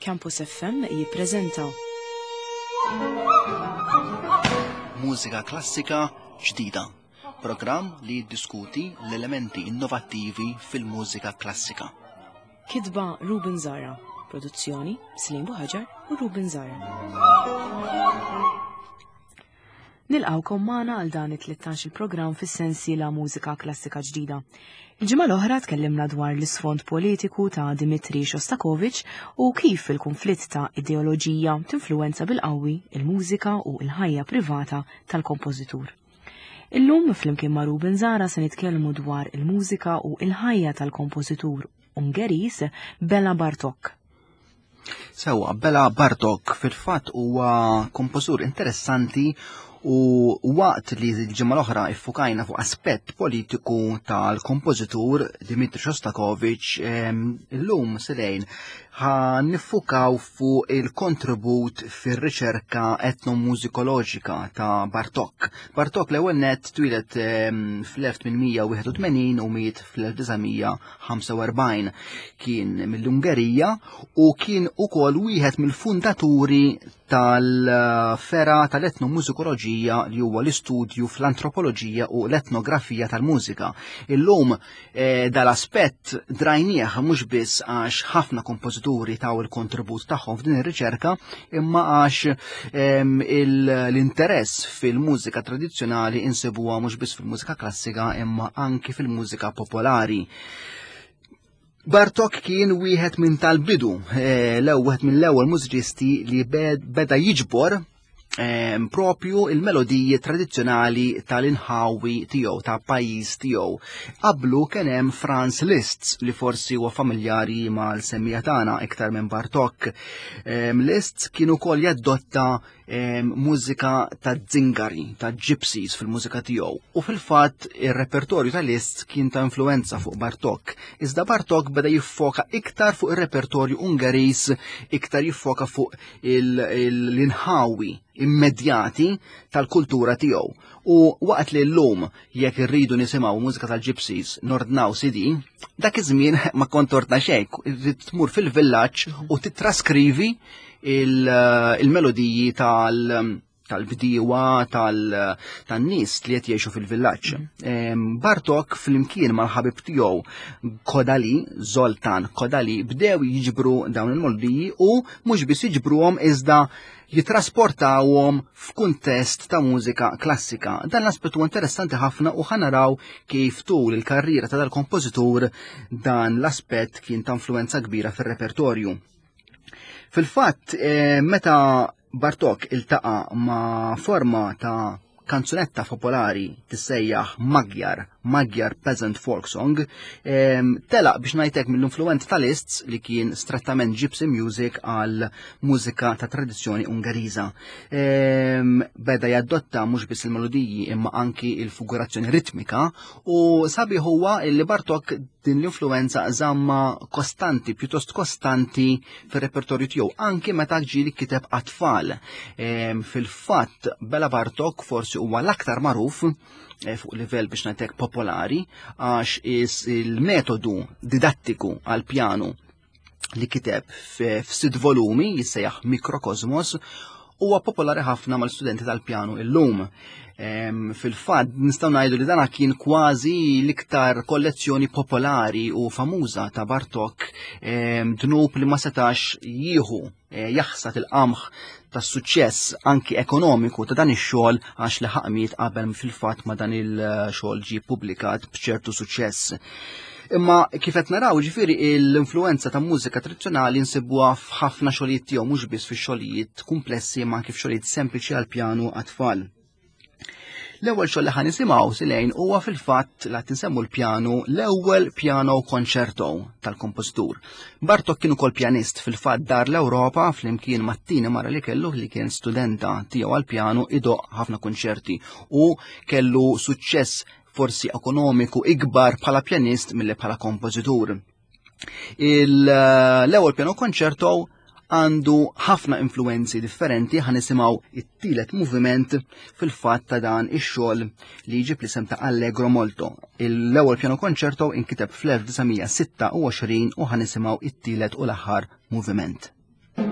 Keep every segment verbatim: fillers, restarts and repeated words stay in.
Campus F M jippreżenta Mużika klassika ġdida, programm li jiddiskuti l-elementi innovattivi fil-mużika klassika. Kitba Ruben Zara, produzzjoni Slim Buhaġar u Ruben Zara. Nilqawkom magħna għal dan it-tlettax il-programm fis-sensiela Mużika Klassika Ġdida. Il-ġimgħa l-oħra tkellimna dwar l-isfond politiku ta' Dmitri Shostakovich u kif il-konflitt ta' ideoloġija tinfluwenza bil-qawwi il-mużika u l-ħajja privata tal-kompożitur. Illum flimkien ma' Ruben Zara se nitkellmu dwar il-mużika u l-ħajja tal-kompożitur Ungeris Bela Bartok. Sewa, Bela Bartok fil-fatt huwa kompożitur interessanti u waqt li l-ġimgħa l-oħra iffukajna fuq aspett politiku tal-kompożitur Dmitri Shostakovich, illum selejn ħa niffukaw fuq il-kontribut fir-riċerka etnomużikoloġika ta' Bartok. Bartok l-ewwel nett twieled fl-elf tmien mija wieħed u tmenin u miet fl-elf disa' mija ħamsa u erbgħin. Kien mill-Ungerija u kien ukoll wieħed mill-fundaturi tal-fera tal-etnomużikoloġija li huwa l-istudju fl-antropoloġija u l-etnografija tal-mużika. Illum, eh, dal-aspett drajnieh mhux biss għax ħafna kompożituri taw il-kontribut tagħhom f'din ir-riċerka, imma għax, ehm, il-, l-interess fil-mużika tradizzjonali insibuha mhux biss fil-mużika klassika imma anki fil-mużika popolari. Bartok kien wieħed minn tal-bidu, eh, l-ewwel wieħed mill-ewwel mużiċisti li bed-, beda jiġbor, ehm, propju il-melodiji tradizzjonali tal-inħawi tiegħu, ta' pajjiż tiegħu. Qablu kien hemm Franz Liszt li forsi huwa familjari mal-semmija tagħna iktar minn Bartok. Ehm, Liszt kien ukoll jadotta, ehm, mużika ta' zingari, ta' gypsies fil-mużika tiegħu. U fil-fatt ir-repertorju ta' Liszt kien ta' influenza fuq Bartok. Iżda Bartok beda jiffoka iktar fuq ir-repertorju Ungeris, iktar jiffoka fuq il-, il-, l-inħawi immedjati tal-kultura tiegħu. U waqt li llum jekk irridu nisimgħu mużika tal-gypsies nordnaw C D, dak iż-żmien ma kont ordna xejn, irrid tmur fil-villaġġ u titraskrivi il-, il-melodiji tal-, tal-bdiewa, tal-, tan-nies li qed jgħixu fil-villaġġ. Mhm. Em, Bartok flimkien mal-ħabib tiegħu Kodali, Zoltan Kodali, bdew jiġbru dawn il-melodiji u mhux biss jiġbruhom iżda jitrasportawhom f'kuntest ta' mużika klassika. Dan l-aspett huwa interessanti ħafna u ħanaraw kif tul il-karriera ta' dal-kompożitur dan l-aspett kien ta' influenza kbira fir-repertorju. Fil-fatt, eh, meta Bartok iltaqa' ma' forma ta' kanzunetta popolari tissejjaħ Magyar, Magyar Peasant Folk Song, em, telaq biex ngħidlek mill-influenza ta' Liszt li kien strettament gypsy music għal mużika ta' tradizzjoni Ungeriża. Em, beda jadotta mhux biss il-melodiji imma anki il-figurazzjoni ritmika u sabiħ huwa li Bartok din l-influenza żamma kostanti, pjuttost kostanti fir-repertorju tiegħu, anki meta ġieli kiteb għat-tfal. Em, fil-fatt Bela Bartok forsi huwa l-aktar magħruf, eh, fuq livell biex ngħidlek popolari għax is il-metodu didattiku għal-pjanu li kiteb f-, f'sitt volumi jissejjaħ Mikrokosmos huwa popolari ħafna mal-studenti tal-pjanu illum. Em, fil-fatt nistgħu ngħidu li dana kien kważi l-iktar kollezzjoni popolari u famuża ta' Bartok, em, dnub li ma setax jieħu, eh, jaħsad il-qamħ tas-suċċess anki ekonomiku ta' dan ix-xogħol għax li ħaqmiet qabel fil-fatt ma dan il-xogħol ġie ppubblikat b'ċertu suċċess. Imma kif qed naraw, ġifieri l-influenza ta' mużika tradizzjonali nsibuha f'ħafna xogħlijiet tiegħu, mhux biss fix-xogħlijiet kumplessi imma anke f'xogħlijiet sempliċi għall-pjanu għat-tfal. L-ewwel xogħol li ħa nisimgħu silejn huwa fil-fatt li qed insemmu l-pjanu, l-ewwel piano concerto tal-kompożitur. Bartok kien ukoll pjanist, fil-fatt dar l-Ewropa flimkien mat-tieni mara li kellu li kien studenta tiegħu għall-pjanu idoq ħafna konċerti u kellu suċċess forsi ekonomiku ikbar bħala pjanist milli bħala kompożitur. Il-, l-ewwel piano concerto għandu ħafna influenzi differenti, ħa nisimgħu it-tielet moviment fil-fatt ta' dan ix-xogħol li jġib l-isem ta' Allegro Molto. L-ewwel piano concerto inkiteb fl-elf disa' mija sitta u għoxrin u ħa nisimgħu it-tielet u l-aħħar moviment. Thank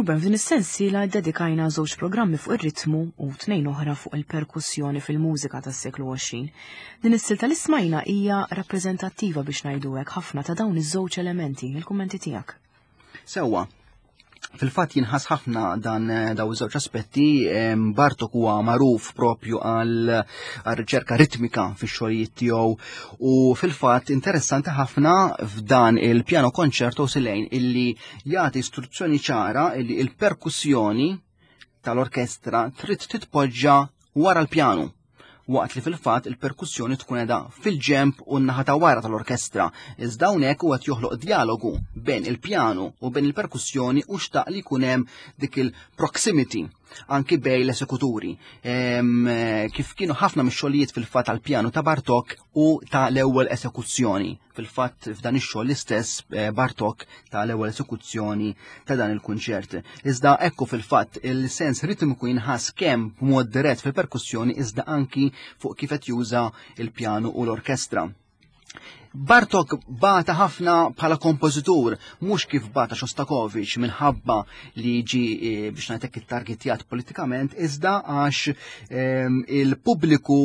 Ruben, f'din is-sensiela ddedikajna żewġ programmi fuq ir-ritmu u tnejn oħra fuq il-perkussjoni fil-mużika tas-seklu għoxrin. Din is-silta li smajna hija rappreżentattiva biex ngħidu hekk ħafna ta' dawn iż-żewġ elementi. Il-kummenti tiegħek. Sewwa. Fil-fatt jinħass ħafna dan daw iż-żewġ aspetti. Bartok huwa magħruf propju għal riċerka ritmika fix-xogħlijiet tiegħu u fil-fatt interessanti ħafna f'dan il-piano concerto Silejn illi jagħti istruzzjoni ċara illi il-perkussjoni tal-orkestra trid titpoġġa wara l-pjanu, waqt li fil-fatt il-perkussjoni tkun qiegħda fil-ġemp u n-naħa ta' wara tal-orkestra. Iżda hawnhekk huwa qed joħloq dialogu bejn il-pjanu u bejn il-perkussjoni u xtaq li jkun hemm dik il-proximity anki bejn l-esekuturi. Kif kienu ħafna mix-xogħlijiet fil-fatt tal-pjanu ta' Bartok u ta' l-ewwel esekuzzjoni. Fil-fatt f'dan ix-xogħol l-istess Bartok ta' l-ewwel esekuzzjoni ta' dan il-kunċert. Iżda ekku fil-fatt il-sens ritmiku jinħass kemm b'mod dirett fil-perkussjoni iżda anki fuq kif qed juża il-pjanu u l-orkestra. Bartok bata ħafna bħala kompożitur, mhux kif bata Shostakovich minħabba li ġi biex ngħidlek ittargetjat politikament, iżda għax il-pubbliku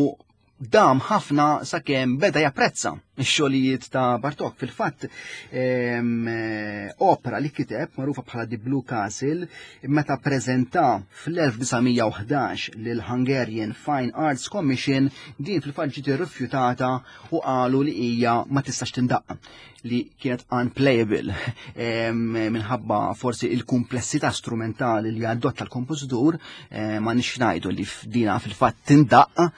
dam ħafna sakemm beda japprezza x-xogħlijiet ta' Bartok. Fil-fatt opera li kiteb magħrufa bħala The Blue Castle meta preżenta fl-elf disa' mija u ħdax lil Hungarian Fine Arts Commission, din fil-fatt ġiet irrifjutata u qalu li hija ma tistax tindaqq, li kienet unplayable minħabba forsi il-kumplessità strumentali li adotta l-kompożitur, ma nix ngħidu li f'dina fil-fatt tindaqq,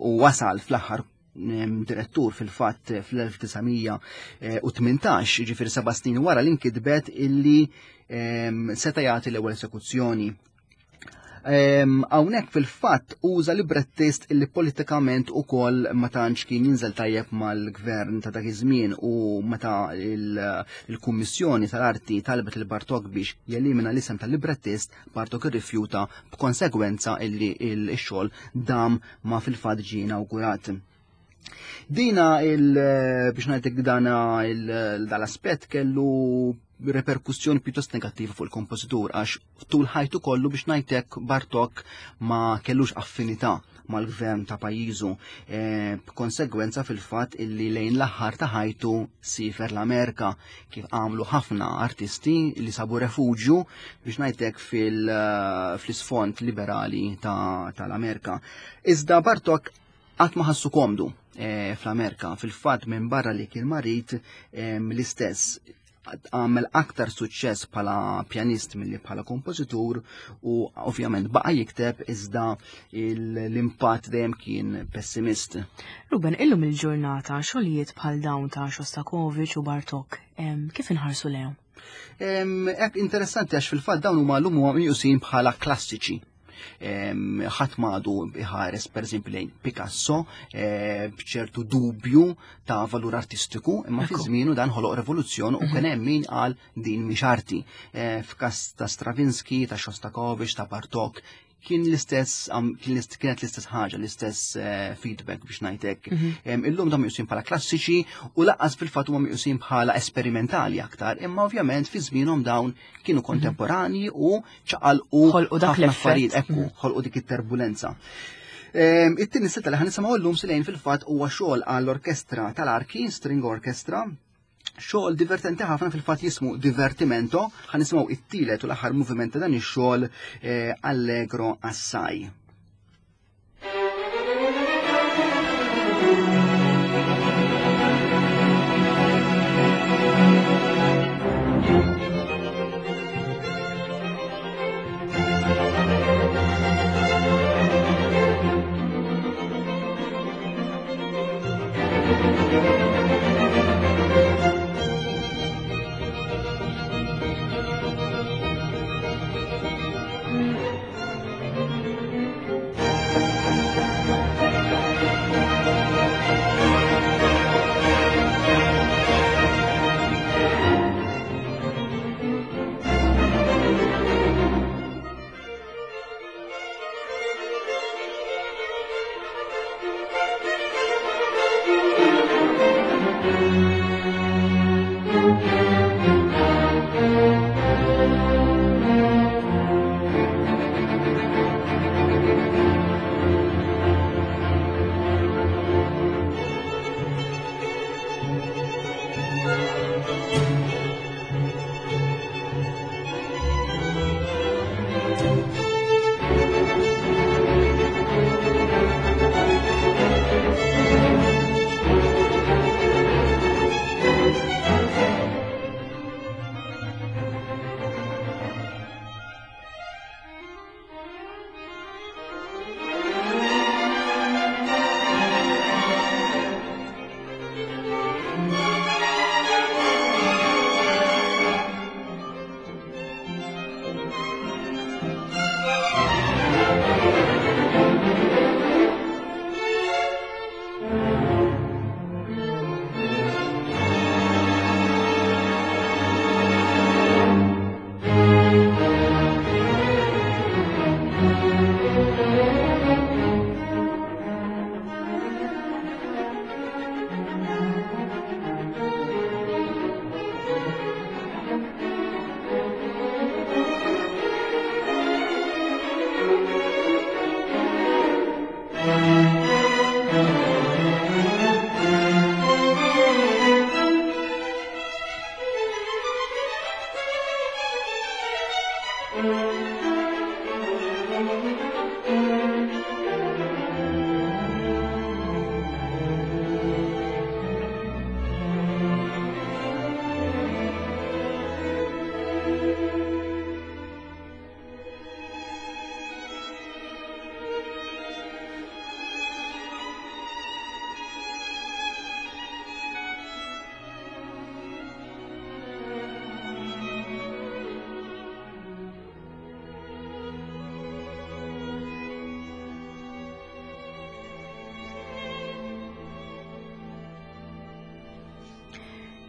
u wasal fl-aħħar direttur fil-fatt fl-elf disa' mija u tmintax, jiġifieri seba' snin wara li nkitbet illi seta' jagħti l-ewwel esekuzzjoni. Hawnhekk fil-fatt uża librettist illi politikament ukoll ma tantx kien jinżel tajjeb mal-gvern ta' dak iż-żmien, u meta il-Kummissjoni tal-Arti talbet lil Bartok biex jelimina l-isem tal-librettist, Bartok irrifjuta b'konsegwenza illi x-xogħol dam ma fil-fatt ġie inawgurat. Dina il, biex ngħidlek dana il, dal-aspett kellu reperkussjoni pjuttost negattiva fuq il-kompożitur, għax tul ħajtu kollu biex ngħidlek Bartok ma kellux affinità mal-gvern ta' pajjiżu, e, b'konsegwenza fil-fatt illi lejn l-aħħar ta' ħajtu sifer l-Amerika, kif għamlu ħafna artisti li sabu refuġju biex ngħidlek fil-, fl-isfond liberali ta', tal-Amerika. Iżda Bartok qatt ma ħassu komdu, e, fl-Amerika. Fil-fatt minn barra li kien marid, e, l-istess għamel aktar suċċess bħala pjanist milli bħala kompożitur, u ovvjament baqa' jikteb iżda l-impatt dejjem kien pessimist. Ruben, illum il-ġurnata xogħlijiet bħal dawn ta' Shostakovich u Bartok, em, kif inħarsu lejhom? Em, hekk interessanti għax fil-fatt dawn huma llum huma meqjusin bħala klassiċi. Em, ħadd m'għadu iħares pereżempju lejn Picasso, eh, b'ċertu dubju ta' valur artistiku, imma fi Ekku. żmienu dan ħoloq rivoluzzjoni u Mhm. kien hemm min qal din mhix arti. Eh, f'każ ta' Stravinsky, ta' Shostakovich, ta' Bartok, kien l-istess, am, kien l-ist-, kienet l-istess ħaġa, l-istess, eh, feedback biex ngħidlek. Mhm. Em, illum dawn meqjusin bħala klassiċi u lanqas fil-fatt huma meqjusin bħala esperimentali aktar, imma ovvjament fi żmienhom dawn kienu Mhm. kontemporanji u ċaqalqu Ħolqu dak ħafna l-effett. affarijiet, ekku, Mhm. ħolqu dik it-turbulenza. Em, it-tieni setta li ħanisimgħu llum Silejn fil-fatt huwa xogħol għall-orkestra tal-Arki, String Orchestra, xogħol divertenti ħafna fil-fatt jismu Divertimento. Ħanisimgħu it-tielet u l-aħħar moviment ta' dan ix-xogħol, eh, Allegro Assai. Thank you.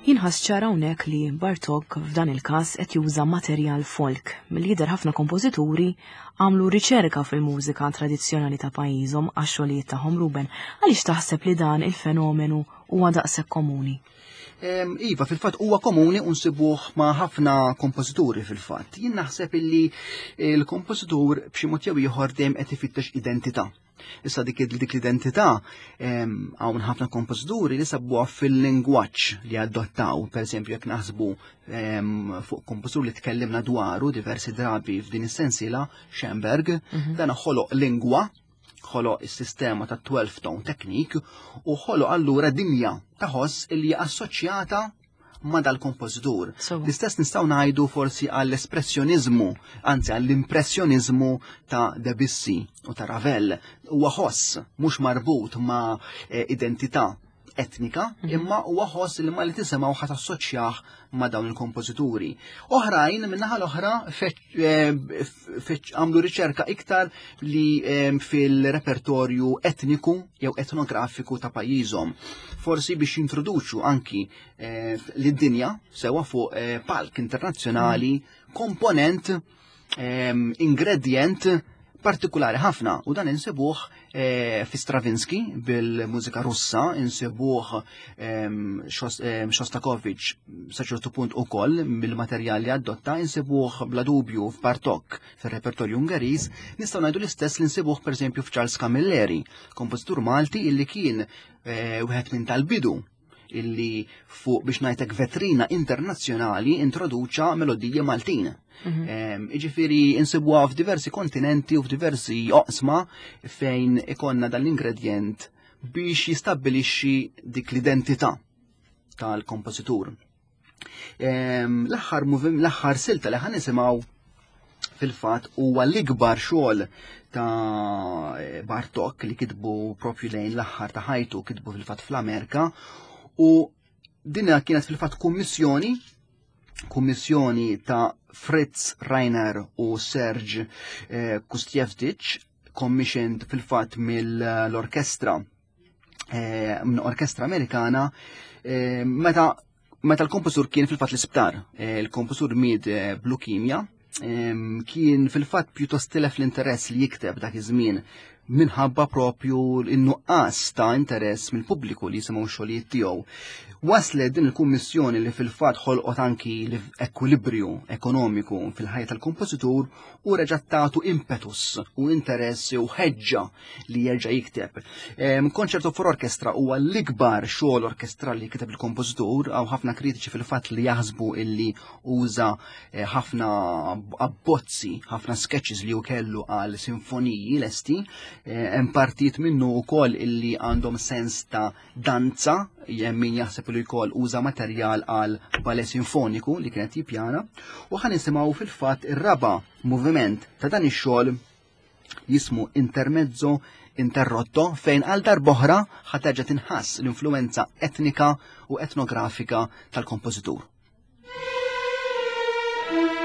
Jinħass ċar hawnhekk li Bartók f'dan il-każ qed juża materjal folk. Mill-jidher ħafna kompożituri għamlu riċerka fil-mużika tradizzjonali ta' pajjiżhom għax-xogħlijiet tagħhom. Ruben, għaliex taħseb li dan il-fenomenu huwa daqshekk komuni? Iva, fil-fatt huwa komuni u nsibuh ma' ħafna kompożituri fil-fatt. Jien naħseb illi l-kompożitur b'xi mod jew ieħor dejjem qed ifittex identità. Issa dik dik l-identità hawn ħafna kompożituri li sabuha fil-lingwaġġ li adottaw, pereżempju jekk naħsbu fuq kompożitur li tkellimna dwaru diversi drabi f'din is-sensiela, Schoenberg, dan ħoloq lingwa, ħoloq is-sistema ta' twelve tone technique u ħoloq allura dinja ta' ħoss li hija assoċjata ma' dal-kompożitur. So. L-istess nistgħu ngħidu forsi għall-espressjonizmu, anzi għall-impressjonizmu ta' Debussy u ta' Ravel. Huwa ħoss mhux marbut ma' eh, identità etnika, Mhm. imma huwa ħoss li ma li tisimgħu ħadd assoċjah ma' dawn il-kompożituri. Oħrajn min-naħa l-oħra feċ-, eh, feċ-, għamlu riċerka iktar li, eh, fil-repertorju etniku jew etnografiku ta' pajjiżhom. Forsi biex jintroduċu anki, eh, lid-dinja sewa fuq, eh, palk internazzjonali komponent, ehm, ingredient partikolari ħafna, u dan insibuh, eh, fi Stravinsky bil-mużika Russa, insibuh, ehm, Shos-, ehm, Shostakovich sa ċertu punt ukoll bil-materjal li adotta, insibuh bla dubju f'Bartók fir-repertorju Ungeriż, nistgħu ngħidu l-istess li nsibuh pereżempju f'Charles Camilleri, kompożitur Malti illi kien, eh, wieħed minn tal-bidu illi fuq biex ngħidlek vetrina internazzjonali introduċa melodiji Maltin. Mhm. Ehm, Jiġifieri insibuha f'diversi kontinenti u f'diversi oqsma fejn ikonna dan l-ingredient biex jistabbilixxi dik l-identità tal-kompożitur. Ehm, l-aħħar movim-, l-aħħar silta li ħan nisimgħu fil-fatt huwa l-ikbar xogħol ta' Bartók li kitbu propju lejn l-aħħar ta' ħajtu, kitbu fil-fatt fl-Amerika, u dinha kienet fil-fatt kummissjoni, kummissjoni ta' Fritz Reiner u Serge, eh, Kustievtich, commissioned fil-fatt mill-orkestra, eh, minn orkestra Amerikana, eh, meta, meta l-kompożur kien fil-fatt l-isptar. Eh, il-kompożur miet, eh, b'leukemia, ehm, kien fil-fatt pjuttost tilef l-interess li jikteb dak iż-żmien minħabba propju n-nuqqas ta' interess mill-pubbliku li jisimgħu x-xogħlijiet tiegħu. Waslet din il-kummissjoni li fil-fatt ħolqot anki l-ekwilibrju ekonomiku fil-ħajja tal-kompożitur u reġgħet tagħtu impetus u interess u ħeġġa li jerġa' jikteb. Ehm, Concerto for Orchestra huwa l-ikbar xogħol orkestrali li kiteb il-kompożitur, hawn ħafna kritiċi fil-fatt li jaħsbu illi uża, eh, ħafna abbozzi, ħafna sketches li hu kellu għal sinfoniji lesti. Eh, hemm partijiet minnu wkoll illi għandhom sens ta' danza, hemm min jaħseb li wkoll uża materjal għal ballet sinfoniku li kienet jippjana, u ħa nisimgħu fil-fatt ir-raba' moviment ta' dan ix-xogħol jismu Intermezzo Interrotto, fejn għal darb'oħra ħa terġa' tinħass l-influenza etnika u etnografika tal-kompożitur. Thank you.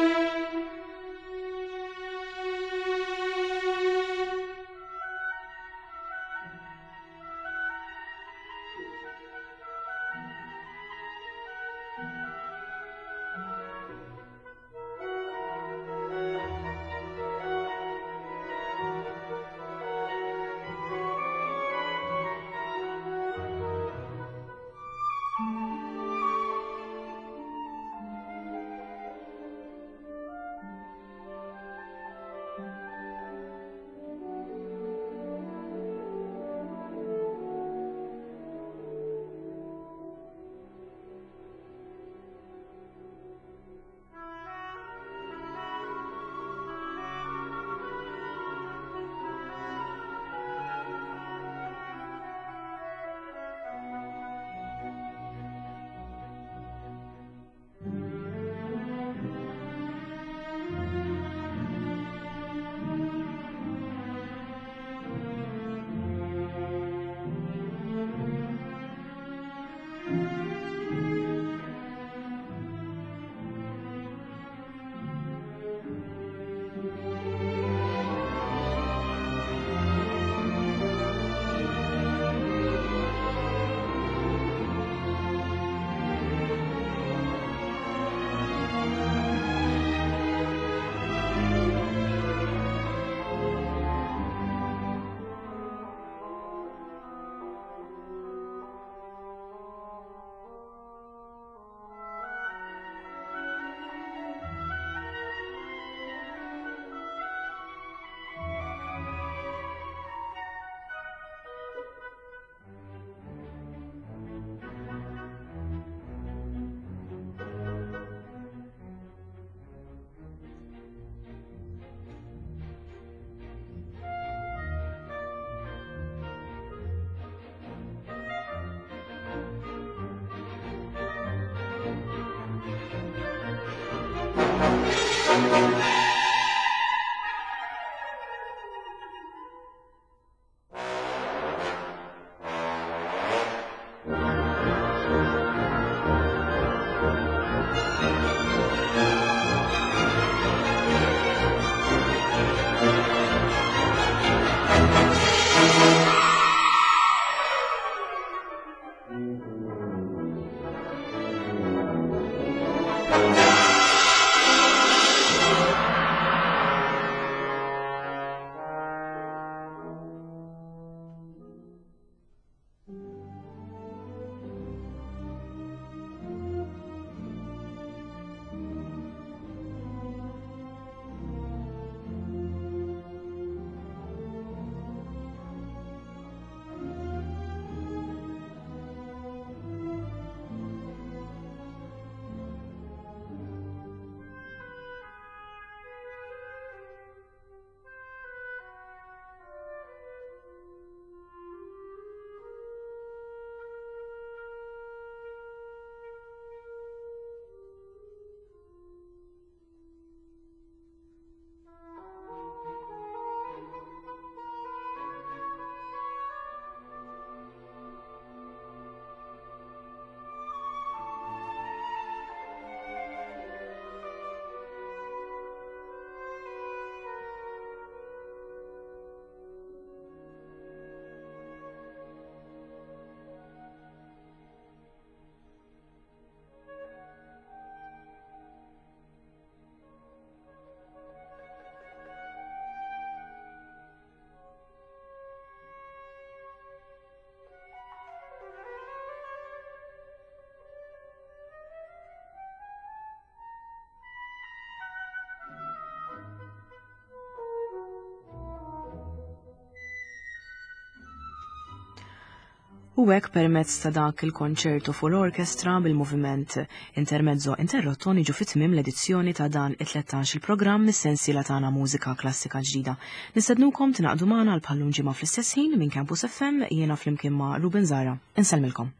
U hekk permezz ta' dak il-konċertu for orchestra bil-moviment Intermezzo Interrotto niġu fit-tmiem l-edizzjoni ta' dan it-tlettax il-programm mis-sensiela tagħna Mużika Klassika Ġdida. Nistednukom tingħaqdu magħna għal bħal-lum ġimgħa fl-istess ħin minn Campus F M, jiena flimkien ma' Ruben Zara. Insellmilkom.